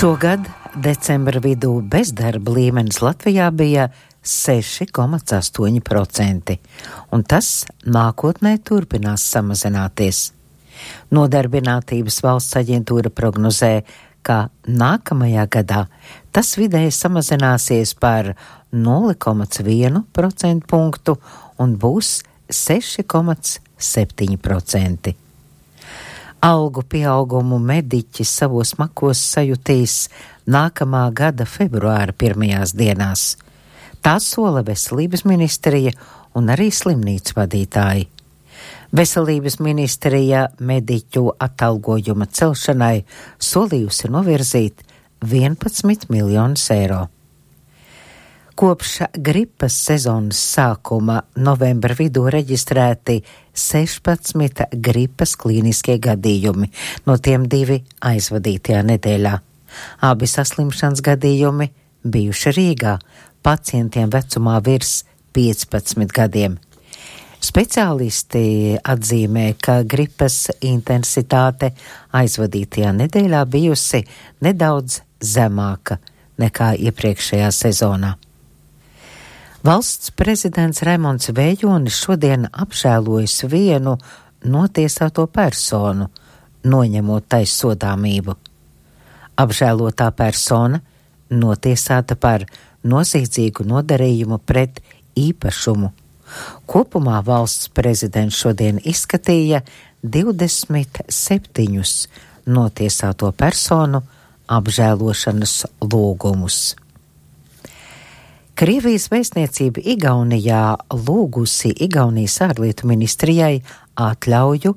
Šogad decembra vidū bezdarba līmenis Latvijā bija 6,8%, un tas nākotnē turpinās samazināties. Nodarbinātības valsts aģentūra prognozē, ka nākamajā gadā tas vidēji samazināsies par 0,1% punktu un būs 6,7%. Algu pieaugumu mediķi savos makos sajutīs nākamā gada februāra pirmajās dienās. Tā sola veselības ministrija un arī slimnīcu vadītāji. Veselības ministrija mediķu atalgojuma celšanai solījusi novirzīt 11 miljonus eiro. Kopš gripas sezonas sākuma novembra vidū reģistrēti 16 gripas klīniskie gadījumi, no tiem 2 aizvadītajā nedēļā. Abi saslimšanas gadījumi bijuši Rīgā, pacientiem vecumā virs 15 gadiem. Speciālisti atzīmē, ka gripas intensitāte aizvadītajā nedēļā bijusi nedaudz zemāka nekā iepriekšējā sezonā. Valsts prezidents Raimonds Vējonis šodien apžēlojas vienu notiesāto personu, noņemot taissodāmību. Apžēlotā persona notiesāta par noziedzīgu nodarījumu pret īpašumu. Kopumā valsts prezidents šodien izskatīja 27 notiesāto personu apžēlošanas lūgumus. Krievijas vēstniecība Igaunijā lūgusi Igaunijas ārlietu ministrijai atļauju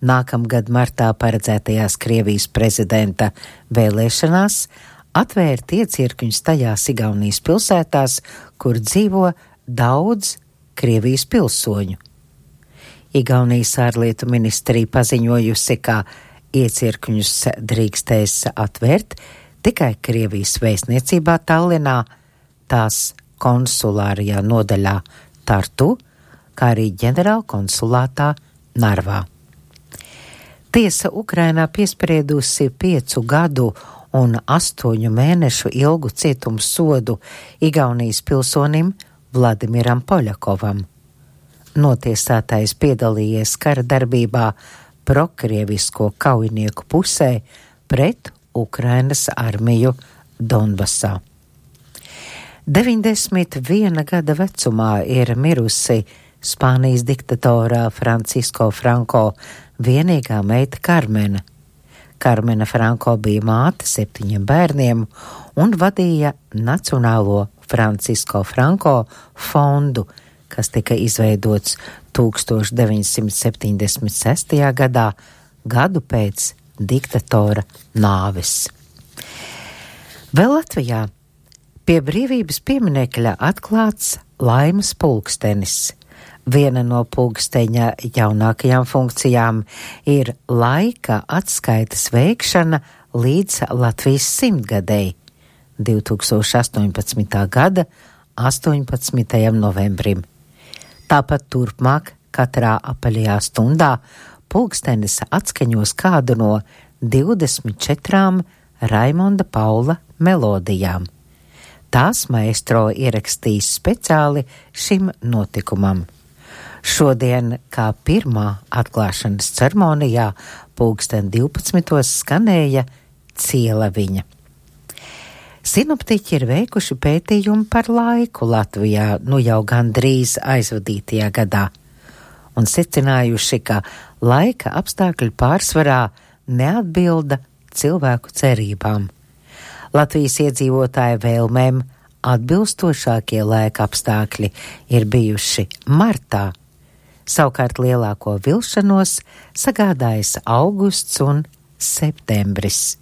nākamgad martā paredzētajās Krievijas prezidenta vēlēšanās atvērt iecirkņus tajās Igaunijas pilsētās, kur dzīvo daudz Krievijas pilsoņu. Igaunijas ārlietu ministrija paziņojusi, ka iecirkņus drīkstēs atvērt tikai Krievijas vēstniecībā Tallinā, tās konsulārajā nodaļā Tartu, kā arī ģenerāla konsulātā Narvā. Tiesa Ukrainā piespriedusi 5 gadu un 8 mēnešu ilgu cietumsodu Igaunijas pilsonim Vladimiram Poļakovam. Notiesātais piedalījies kara darbībā prokrievisko kaujinieku pusē pret Ukrainas armiju Donbasā. 91 gada vecumā ir mirusi Spānijas diktatorā Francisko Franko vienīgā meita Karmena. Karmena Franko bija māte 7 bērniem un vadīja Nacionālo Francisko Franko fondu, kas tika izveidots 1976. gadā, gadu pēc diktatora nāves. Vēl Latvijā pie brīvības pieminekļa atklāts laimes pulkstenis. Viena no pulksteņa jaunākajām funkcijām ir laika atskaites veikšana līdz Latvijas 100-gadei 2018. gada 18. novembrim. Tāpat turpmāk katrā apaļajā stundā pulkstenis atskaņos kādu no 24 Raimonda Paula melodijām. Tās maestro ierakstīs speciāli šim notikumam. Šodien, kā pirmā atklāšanas ceremonijā, pulksten 12. skanēja Cielaviņa. Sinoptiķi ir veikuši pētījumu par laiku Latvijā jau gandrīz aizvadītajā gadā un secinājuši, ka laika apstākļi pārsvarā neatbilda cilvēku cerībām. Latvijas iedzīvotāju vēlmēm atbilstošākie laika apstākļi ir bijuši martā. Savukārt lielāko vilšanos sagādājas augusts un septembris.